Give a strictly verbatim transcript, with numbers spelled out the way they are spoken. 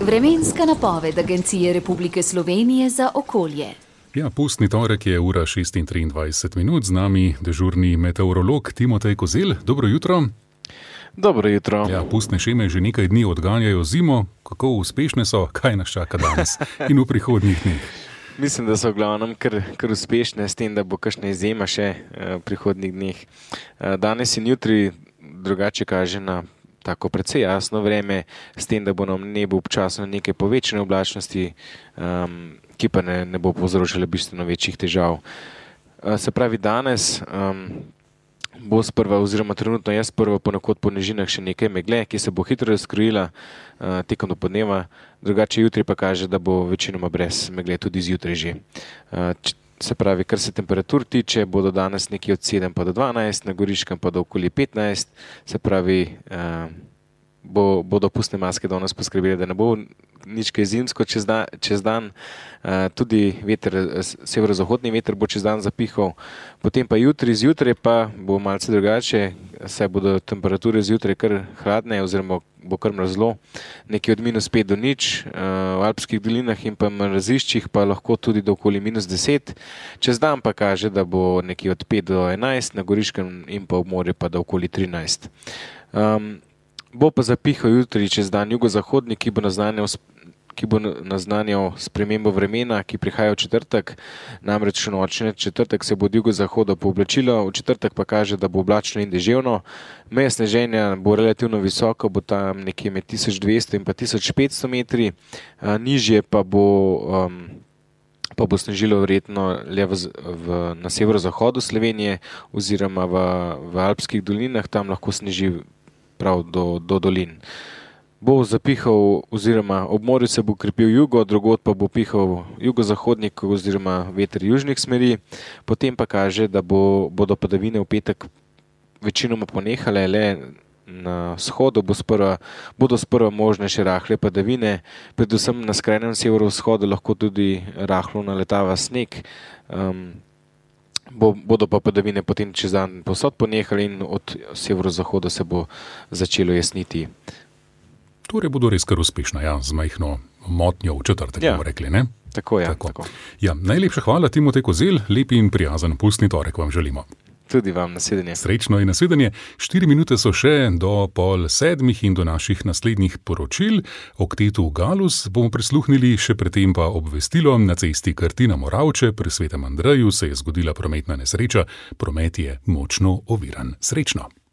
Vremenska napoved Agencije Republike Slovenije za okolje. Ja, pustni torek je ura šest in triindvajset minut, z nami dežurni meteorolog Timotej Kozelj. Dobro jutro. Dobro jutro. Ja, pustne šeme že nekaj dni odganjajo zimo. Kako uspešne so, kaj nas čaka danes in v prihodnjih dneh? Mislim, da so v glavnem kar, kar uspešne, s tem, da bo kakšna izjema še v prihodnjih dneh. Danes in jutri drugače kaže na tako precej jasno vreme, s tem, da bo na nebu občasno nekaj povečane oblačnosti, um, ki pa ne, ne bo povzročala bistveno večjih težav. Uh, se pravi, danes um, bo sprva, oziroma trenutno je sprva ponekod po nižinah še nekaj megle, ki se bo hitro razkrojila uh, tekom do podneva, drugače jutri pa kaže, da bo večinoma brez megle tudi zjutraj že. Uh, Se pravi, kar se temperatur tiče, bodo danes nekje od sedem pa do dvanajst, na Goriškem pa do okoli petnajst, se pravi, eh, bo, bodo pustne maske danes poskrbeli, da ne bo nič kaj zimsko čez, da, čez dan, eh, tudi veter, severozahodni veter bo čez dan zapihal, potem pa jutri, zjutraj pa bo malce drugače, saj bodo temperature zjutraj kar hladne oziroma bo kar mrzlo, nekje od minus pet do nič, v alpskih dolinah in pa mraziščih pa lahko tudi do okoli minus deset. Čez dan pa kaže, da bo nekje od pet do enajst, na Goriškem in pa v morju pa do okoli trinajst. Um, bo pa zapihal jutri čez dan jugozahodni, ki bo naznanjal ki bo naznanjal spremembo vremena, ki prihaja v četrtek, namreč v noči četrtek se bo od jugozahoda pooblačilo, v četrtek pa kaže, da bo oblačno in deževno. Meja sneženja bo relativno visoko, bo tam nekje med tisoč dvesto in pa tisoč petsto metri, a, nižje pa bo, um, pa bo snežilo verjetno le v, v, na severozahodu Slovenije oziroma v, v alpskih dolinah, tam lahko sneži prav do, do dolin. Bo zapihal oziroma ob morju se bo krepil jugo, drugod pa bo pihal jugozahodnik oziroma veter južnih smeri, potem pa kaže, da bo, bodo padavine v petek večinoma ponehale, le na vzhodu bo sprva, bodo sprva možne še rahle padavine, predvsem na skrajnem severovzhodu lahko tudi rahlo naletava sneg, um, bo, bodo pa padavine potem čez dan povsod ponehale in od severozahoda se bo začelo jasniti. Torej bodo res kar uspešna, ja, z majhno motnjo v četrtek, ja, bomo rekli, ne? Tako je, tako. tako. Ja, najlepša hvala, Timotej Kozelj, lep in prijazen pustni torek vam želimo. Tudi vam, nasvidenje. Srečno in nasvidenje. Štiri minute so še do pol sedmih in do naših naslednjih poročil. Oktetu Galus bomo prisluhnili, še predtem pa obvestilo. Na cesti Krtina Moravče pri Svetem Andreju se je zgodila prometna nesreča. Promet je močno oviran. Srečno.